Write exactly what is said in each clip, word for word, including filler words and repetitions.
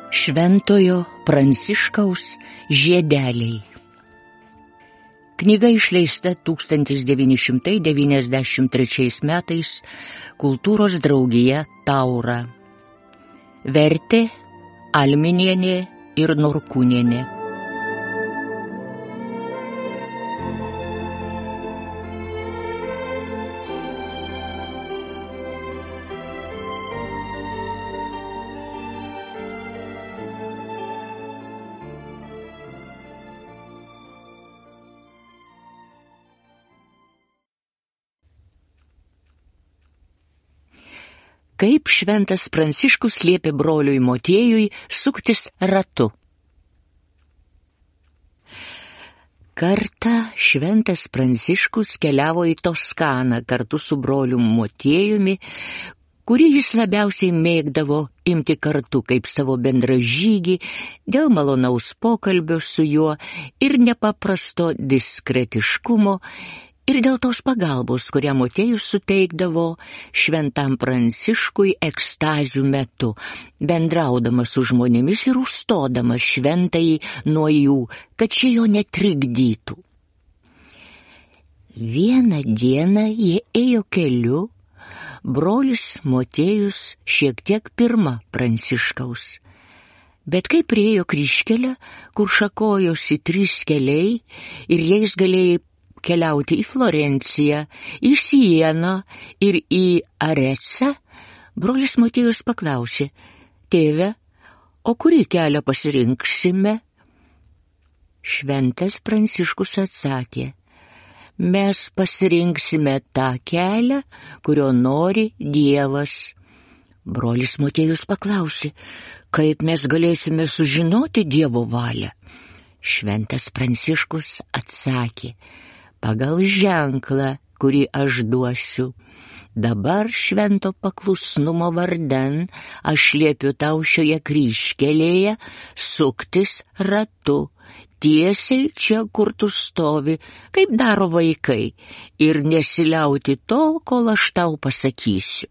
Šventojo Pranciškaus žiedeliai. Knyga išleista tūkstantis devyni šimtai devyniasdešimt trečiais metais Kultūros draugija Taura. Vertė Alminienė ir Norkūnienė. Kaip šventas Pranciškus liepė broliui Motiejui suktis ratu. Kartą šventas Pranciškus keliavo į Toskaną kartu su broliu Motiejumi, kurį jis labiausiai mėgdavo imti kartu kaip savo bendražygį dėl malonaus pokalbio su juo ir nepaprasto diskretiškumo, ir dėl tos pagalbos, kurią Motiejus suteikdavo šventam Pranciškui ekstazių metu, bendraudamas su žmonėmis ir užstodamas šventąjį nuo jų, kad šie jo netrikdytų. Vieną dieną jie ėjo keliu, brolis Motiejus šiek tiek pirma Pranciškaus. Bet kai priėjo kryžkelę, kur šakojosi trys keliai ir jais galėjai keliauti į Florenciją, į Sieną ir į Arecą, brolis Motiejus paklausė: tėve, o kurį kelią pasirinksime? Šventas Pranciškus atsakė: mes pasirinksime tą kelią, kurio nori Dievas. Brolis Motiejus paklausė: kaip mes galėsime sužinoti Dievo valią? Šventas Pranciškus atsakė: pagal ženklą, kurį aš duosiu. Dabar švento paklusnumo vardan aš liepiu tau šioje kryžkelėje suktis ratu, tiesiai čia, kur tu stovi, kaip daro vaikai, ir nesiliauti tol, kol aš tau pasakysiu.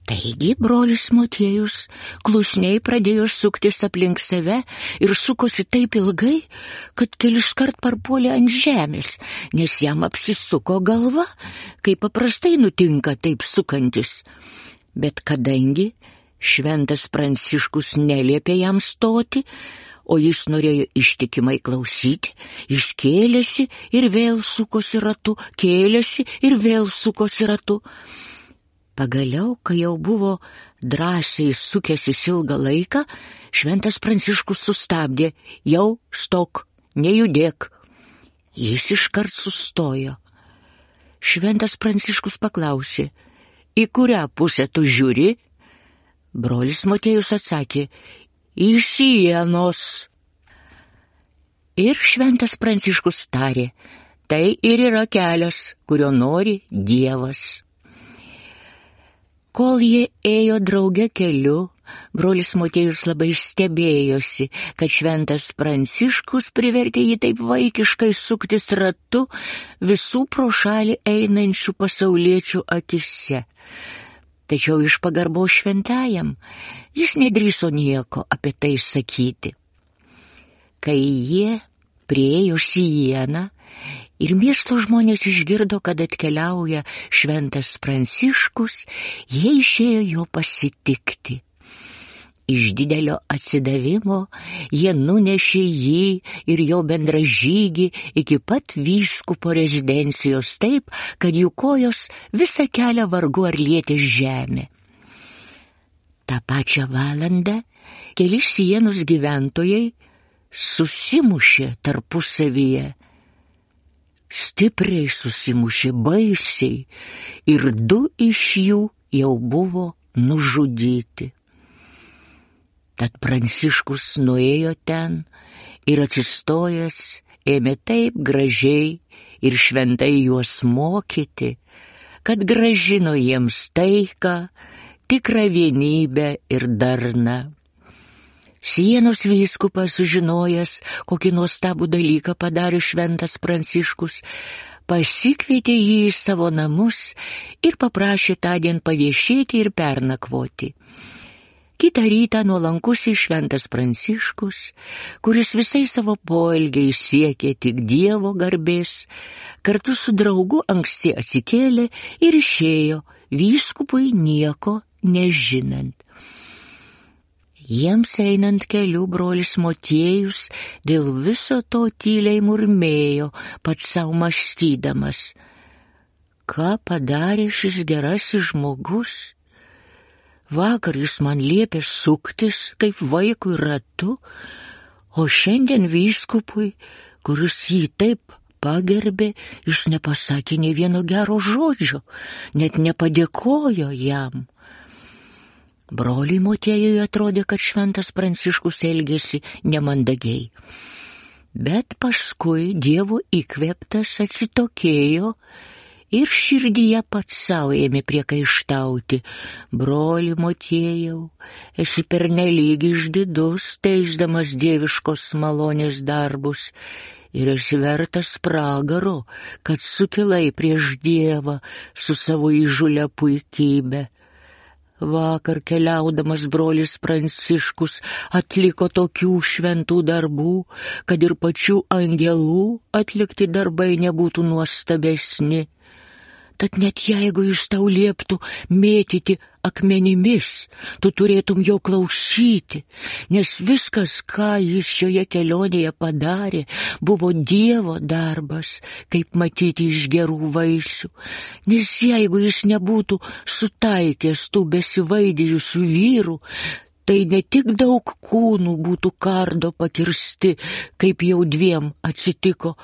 Taigi brolis Motiejus klusniai pradėjo suktis aplink save ir sukosi taip ilgai, kad keliskart parpuolė ant žemės, nes jam apsisuko galva, kaip paprastai nutinka taip sukantis. Bet kadangi šventas Pranciškus neliepė jam stoti, o jis norėjo ištikimai klausyti, jis kėlėsi ir vėl sukosi ratu, kėlėsi ir vėl sukosi ratu. Pagaliau, kai jau buvo drąsiai sukęsis ilgą laiką, šventas Pranciškus sustabdė: jau stok, nejudėk. Jis iškart sustojo. Šventas Pranciškus paklausė: į kurią pusę tu žiūri? Brolis Motiejus atsakė: į Sienos. Ir šventas Pranciškus tarė: tai ir yra kelias, kurio nori Dievas. Kol jie ėjo drauge keliu, brolis Motiejus labai stebėjosi, kad šventas Pranciškus privertė jį taip vaikiškai suktis ratu visų pro šalį einančių pasauliečių akise. Tačiau iš pagarbos šventajam jis nedrįso nieko apie tai sakyti. Kai jie priėjo Sieną ir miesto žmonės išgirdo, kad atkeliauja šventas Pranciškus, jie išėjo jo pasitikti. Iš didelio atsidavimo jie nunešė jį ir jo bendražygį iki pat vyskupo rezidencijos taip, kad jų kojos visą kelią vargu ar lietė žemę. Ta pačią valandą keli Sienos gyventojai susimušė tarpusavyje. Stipriai susimušė, baisiai, ir du iš jų jau buvo nužudyti. Tad Pranciškus nuėjo ten ir atsistojęs ėmė taip gražiai ir šventai juos mokyti, kad grąžino jiems taiką, tikrą vienybę ir darną. Sienos vyskupas, sužinojęs, kokį nuostabų dalyką padarė šventas Pranciškus, pasikvietė jį į savo namus ir paprašė tądien paviešėti ir pernakvoti. Kitą rytą nuolankusis šventas Pranciškus, kuris visais savo poelgiais siekė tik Dievo garbės, kartu su draugu anksti atsikėlė ir išėjo, vyskupui nieko nežinant. Jiems einant keliu brolis Motiejus dėl viso to tyliai murmėjo, pats savo mąstydamas. Ką padarė šis gerasis žmogus? Vakar jis man liepė suktis kaip vaikui ratu, o šiandien vyskupui, kuris jį taip pagerbė, jis nepasakė nė vieno gero žodžio, net nepadėkojo jam. Broliui Motiejui atrodė, kad šventas Pranciškus elgėsi nemandagiai. Bet paskui Dievo įkvėptas atsitokėjo ir širdyje pats savo ėmė priekaištauti. Broli Motiejau, esi pernelyg išdidus, teisdamas dieviškos malonės darbus, ir esi vertas pragaro, kad sukilai prieš Dievą su savo įžūlia puikybė. Vakar keliaudamas brolis Pranciškus atliko tokių šventų darbų, kad ir pačių angelų atlikti darbai nebūtų nuostabesni. Tad net jeigu jis tau lieptų mėtyti akmenimis, tu turėtum jo klausyti, nes viskas, ką jis šioje kelionėje padarė, buvo Dievo darbas, kaip matyti iš gerų vaisių. Nes jeigu jis nebūtų sutaikęs tų besivaidijusių vyrų, tai ne tik daug kūnų būtų kardo pakirsti, kaip jau dviem atsitiko,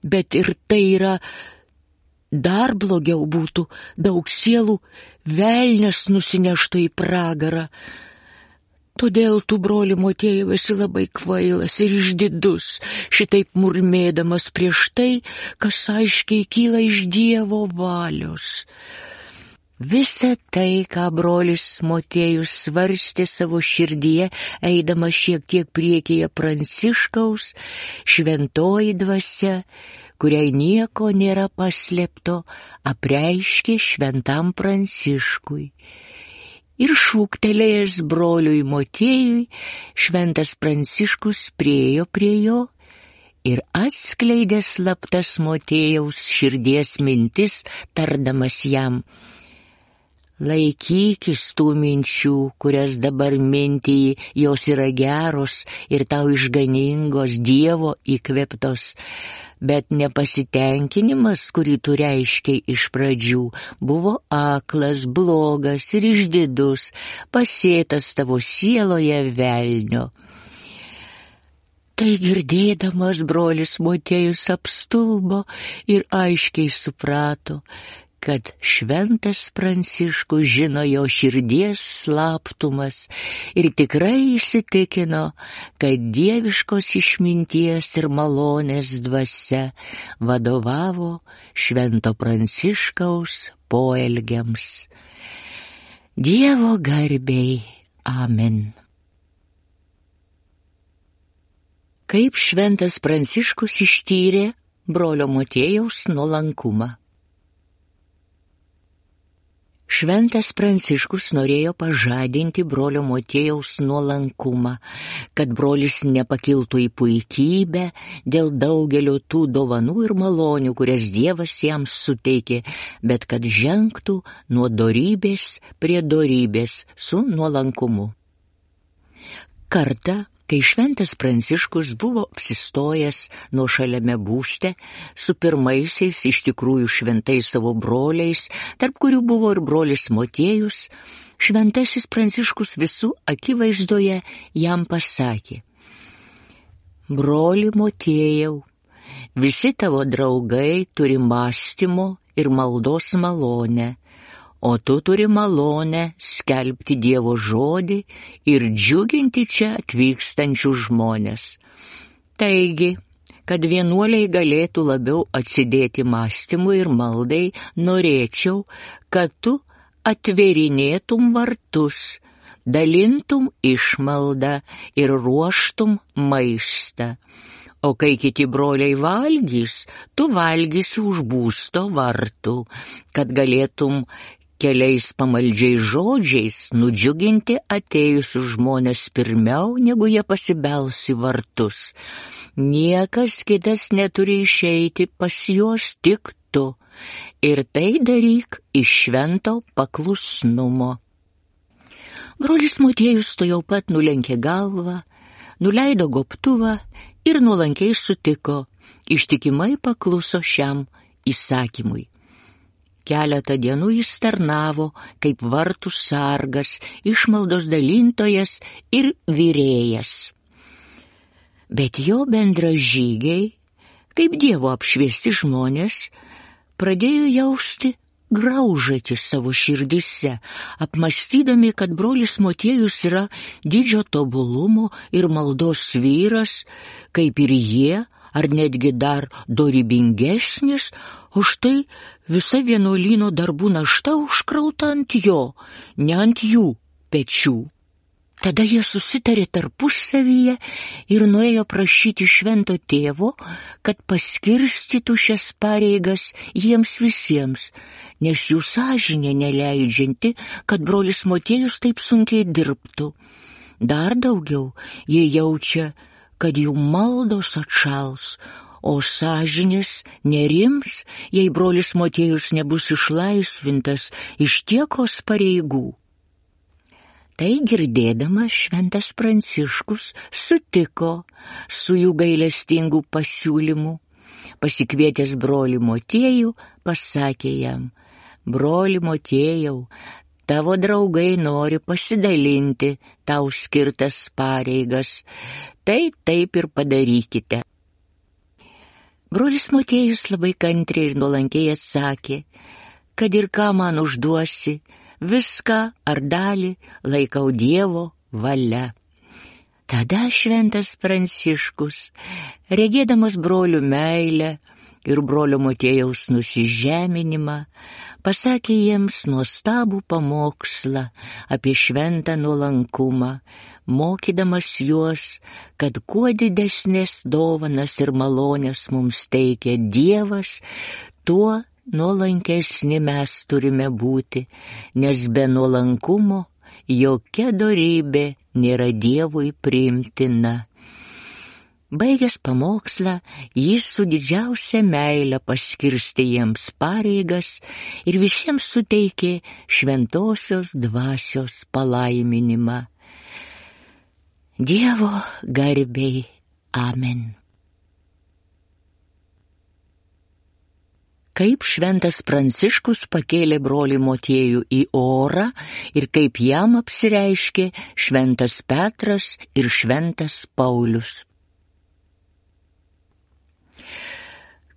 bet ir tai yra dar blogiau būtų, daug sielų velnias nusineštų į pragarą. Todėl tu, broli Motiejau, esi labai kvailas ir išdidus, šitaip murmėdamas prieš tai, kas aiškiai kyla iš Dievo valios. Visa tai, ką brolis Motiejus svarstė savo širdyje, eidamas šiek tiek priekyje Pranciškaus, šventoji dvasia, kuriai nieko nėra paslėpto, apreiškė šventam Pranciškui. Ir šūktelėjęs broliui Motiejui, šventas Pranciškus priėjo prie jo ir atskleidė slaptas Motiejaus širdies mintis, tardamas jam: laikykis tų minčių, kurias dabar mintiji, jos yra geros ir tau išganingos, Dievo įkvėptos. Bet nepasitenkinimas, kurį tu reiškiai iš pradžių, buvo aklas, blogas ir išdidus, pasėtas tavo sieloje velnio. Tai girdėdamas brolis Motiejus apstulbo ir aiškiai suprato, kad šventas Pranciškus žino jo širdies slaptumas ir tikrai įsitikino, kad dieviškos išminties ir malonės dvasia vadovavo švento Pranciškaus poelgiams. Dievo garbei. Amen. Kaip šventas Pranciškus ištyrė brolio Motiejaus nuolankumą. Šventas Pranciškus norėjo pažadinti brolio Motiejaus nuolankumą, kad brolis nepakiltų į puikybę dėl daugelio tų dovanų ir malonių, kurias Dievas jam suteikė, bet kad žengtų nuo dorybės prie dorybės su nuolankumu. Kartą, kai šventas Pranciškus buvo apsistojęs nuošaliame būste su pirmaisiais iš tikrųjų šventais savo broliais, tarp kurių buvo ir brolis Motiejus, šventasis Pranciškus visų akivaizdoje jam pasakė: broli Motiejau, visi tavo draugai turi mąstymo ir maldos malonę, o tu turi malonę skelbti Dievo žodį ir džiuginti čia atvykstančių žmonės. Taigi, kad vienuoliai galėtų labiau atsidėti mąstymui ir maldai, norėčiau, kad tu atverinėtum vartus, dalintum išmaldą ir ruoštum maistą. O kai kiti broliai valgys, tu valgysi už būsto vartų, kad galėtum keliais pamaldžiais žodžiais nudžiuginti atėjusius žmonės pirmiau, negu jie pasibels į vartus. Niekas kitas neturi išeiti pas juos, tik tu, ir tai daryk iš švento paklusnumo. Brolis Motiejus to jau pat nulenkė galvą, nuleido gobtuvą ir nuolankiai sutiko, ištikimai pakluso šiam įsakymui. Keletą dienų jis tarnavo kaip vartų sargas, išmaldos dalintojas ir virėjas. Bet jo bendražygiai, kaip Dievo apšviesti žmonės, pradėjo jausti graužatį savo širdyse, apmąstydami, kad brolis Motiejus yra didžio tobulumo ir maldos vyras, kaip ir jie, ar netgi dar dorybingesnis, o štai visa vienuolyno darbų našta užkrauta ant jo, ne ant jų pečių. Tada jie susitarė tarpusavyje ir nuėjo prašyti švento tėvo, kad paskirstytų šias pareigas jiems visiems, nes jų sąžinė neleidžianti, kad brolis Motiejus taip sunkiai dirbtų. Dar daugiau jie jaučia, kad jų maldos atšals, o sąžinės nerims, jei brolis Motiejus nebus išlaisvintas iš tiekos pareigų. Tai girdėdamas šventas Pranciškus sutiko su jų gailestingų pasiūlymų. Pasikvietęs brolį Motiejų, pasakė jam: broli Motiejau, tavo draugai nori pasidalinti tau skirtas pareigas, tai taip ir padarykite. Brolis Motiejus labai kantriai ir nuolankiai atsakė, kad ir ką man užduosi, viską ar dalį laikau Dievo valia. Tada šventas Pranciškus, regėdamas brolių meilę ir brolio Motiejaus nusižeminimą, pasakė jiems nuostabų pamokslą apie šventą nuolankumą, mokydamas juos, kad kuo didesnės dovanas ir malonės mums teikia Dievas, tuo nuolankesni mes turime būti, nes be nuolankumo jokia dorybė nėra Dievui priimtina. Baigęs pamokslą, jis su didžiausia meile paskirstė jiems pareigas ir visiems suteikė šventosios dvasios palaiminimą. Dievo garbei. Amen. Kaip šventas Pranciškus pakėlė brolį Motiejų į orą ir kaip jam apsireiškė šventas Petras ir šventas Paulius.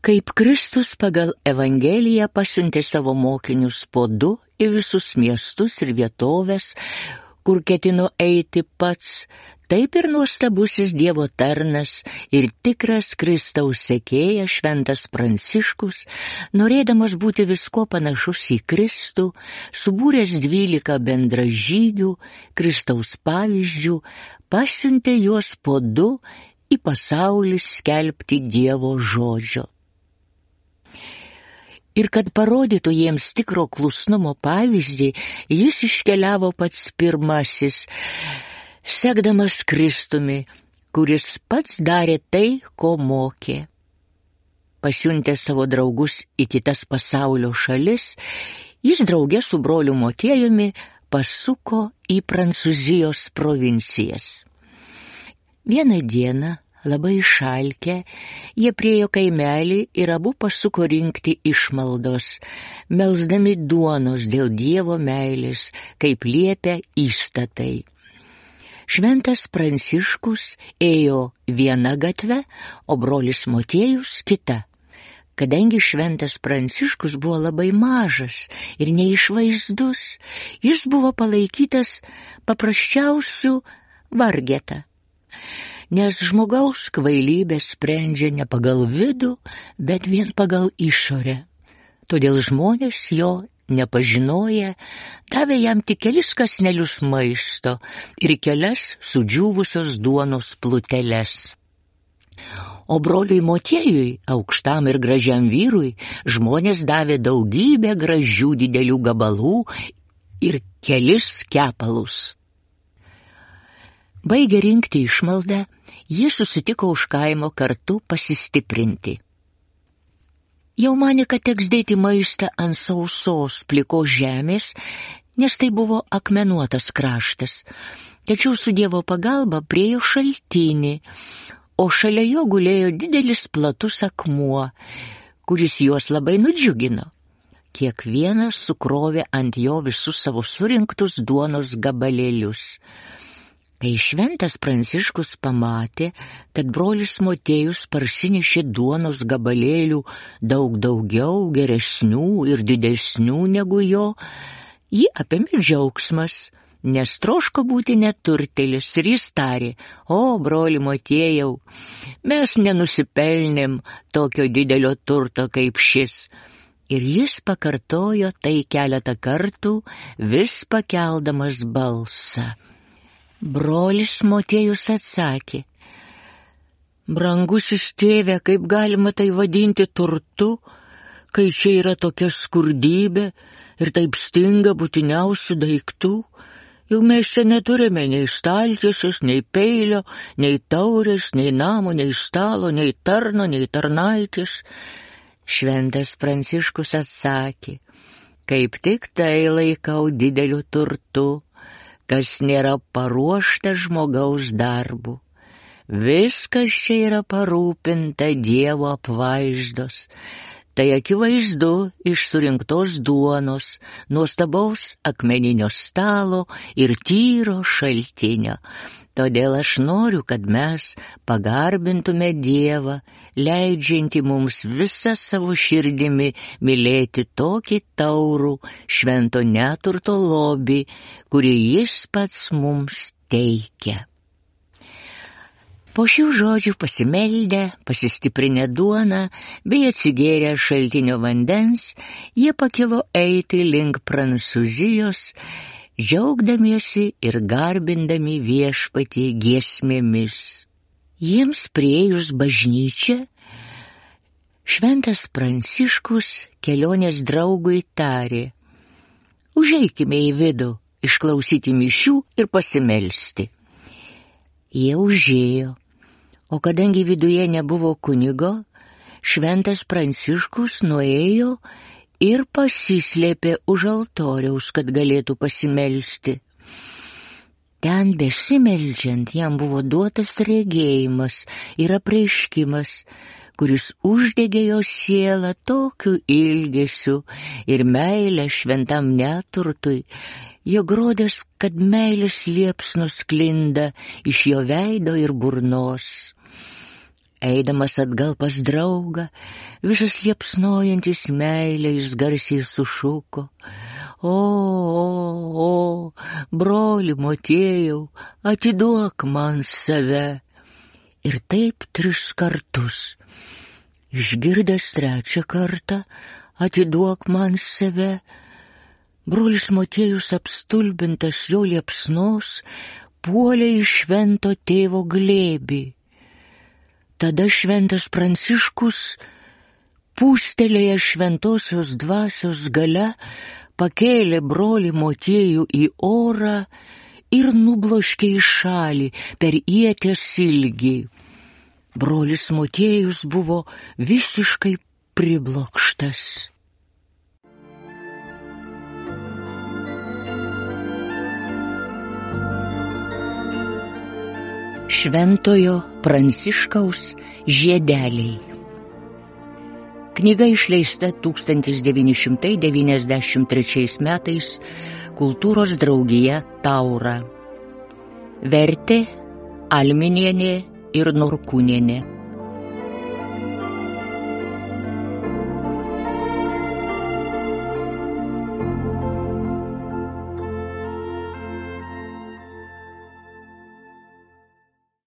Kaip Kristus pagal Evangeliją pasiuntė savo mokinius po du į visus miestus ir vietovės, kur ketino eiti pats, taip ir nuostabusis Dievo tarnas ir tikras Kristaus sekėjas šventas Pranciškus, norėdamas būti visko panašus į Kristų, subūręs dvylika bendražygių, Kristaus pavyzdžių, pasiuntė juos po du į pasaulį skelbti Dievo žodžio. Ir kad parodytų jiems tikro klusnumo pavyzdį, jis iškeliavo pats pirmasis, sekdamas Kristumi, kuris pats darė tai, ko mokė. Pasiuntęs savo draugus į kitas pasaulio šalis, jis drauge su broliu Motiejumi pasuko į Prancūzijos provincijas. Vieną dieną, labai išalkę, jie priėjo kaimelį ir abu pasuko rinkti išmaldos, melsdami duonos dėl Dievo meilės, kaip liepia įstatai. Šventas Pranciškus ėjo viena gatve, o brolis Motiejus kita. Kadangi šventas Pranciškus buvo labai mažas ir neišvaizdus, jis buvo palaikytas paprasčiausių vargeta. Nes žmogaus kvailybė sprendžia ne pagal vidų, bet vien pagal išorę. Todėl žmonės jo nepažinoję, davė jam tik kelis kąsnelius maisto ir kelias sudžiūvusios duonos pluteles. O broliui Motiejui, aukštam ir gražiam vyrui, žmonės davė daugybę gražių didelių gabalų ir kelis kepalus. Baigę rinkti išmaldą, jie susitiko už kaimo kartu pasistiprinti. Jau manė, kad teks dėti maistą ant sausos plikos žemės, nes tai buvo akmenuotas kraštas. Tačiau su Dievo pagalba priėjo šaltinį, o šalia jo gulėjo didelis platus akmuo, kuris juos labai nudžiugino. Kiekvienas sukrovė ant jo visus savo surinktus duonos gabalėlius. Kai šventas Pranciškus pamatė, kad brolis Motiejus parsinešė duonos gabalėlių daug daugiau, geresnių ir didesnių negu jo, jį apėmė džiaugsmas, nes troško būti neturtėlis ir jis tarė: o, broli Motiejau, mes nenusipelnėm tokio didelio turto kaip šis. Ir jis pakartojo tai keletą kartų, vis pakeldamas balsą. Brolis Motiejus atsakė: brangusis tėve, kaip galima tai vadinti turtu, kai čia yra tokia skurdybė ir taip stinga būtiniausių daiktų? Jau mes čia neturime nei staltiesės, nei peilio, nei taurės, nei namo, nei stalo, nei tarno, nei tarnaitės. Šventas Pranciškus atsakė: kaip tik tai laikau dideliu turtu, kas nėra paruošta žmogaus darbu. Viskas čia yra parūpinta Dievo apvaizdos. Tai akivaizdu iš surinktos duonos, nuostabaus akmeninio stalo ir tyro šaltinio. Todėl aš noriu, kad mes pagarbintume Dievą, leidžiantį mums visą savo širdimi mylėti tokį taurų švento neturto lobį, kurį jis pats mums teikia. Po šių žodžių pasimeldę, pasistiprinę duoną bei atsigėrę šaltinio vandens, jie pakilo eiti link Prancūzijos, džiaugdamiesi ir garbindami viešpatį giesmėmis. Jiems priėjus bažnyčią, šventas Pranciškus kelionės draugui tarė: užeikime į vidų, išklausyti mišių ir pasimelsti. Jie užėjo, o kadangi viduje nebuvo kunigo, šventas Pranciškus nuėjo ir pasislėpė už altoriaus, kad galėtų pasimelsti. Ten besimeldžiant jam buvo duotas regėjimas ir apreiškimas, kuris uždegė jo sielą tokiu ilgesiu ir meilę šventam neturtui, jog rodės, kad meilės liepsnos sklinda iš jo veido ir burnos. Eidamas atgal pas draugą, visas liepsnojantis meilę jis garsiai sušuko: o, o, o, broli Motiejau, atiduok man save. Ir taip tris kartus. Išgirdęs trečią kartą: atiduok man save, brolis Motiejus, apstulbintas jo liepsnos, puolė į švento tėvo glėbį. Tada šventas Pranciškus, pūstelėjęs šventosios dvasios galia, pakėlė brolį Motiejų į orą ir nubloškė į šalį per ieties ilgį. Brolis Motiejus buvo visiškai priblokštas. Šventojo Pranciškaus žiedeliai. Knyga išleista tūkstantis devyni šimtai devyniasdešimt trečiais metais Kultūros draugija Taura. Vertė Alminienė ir Norkūnienė.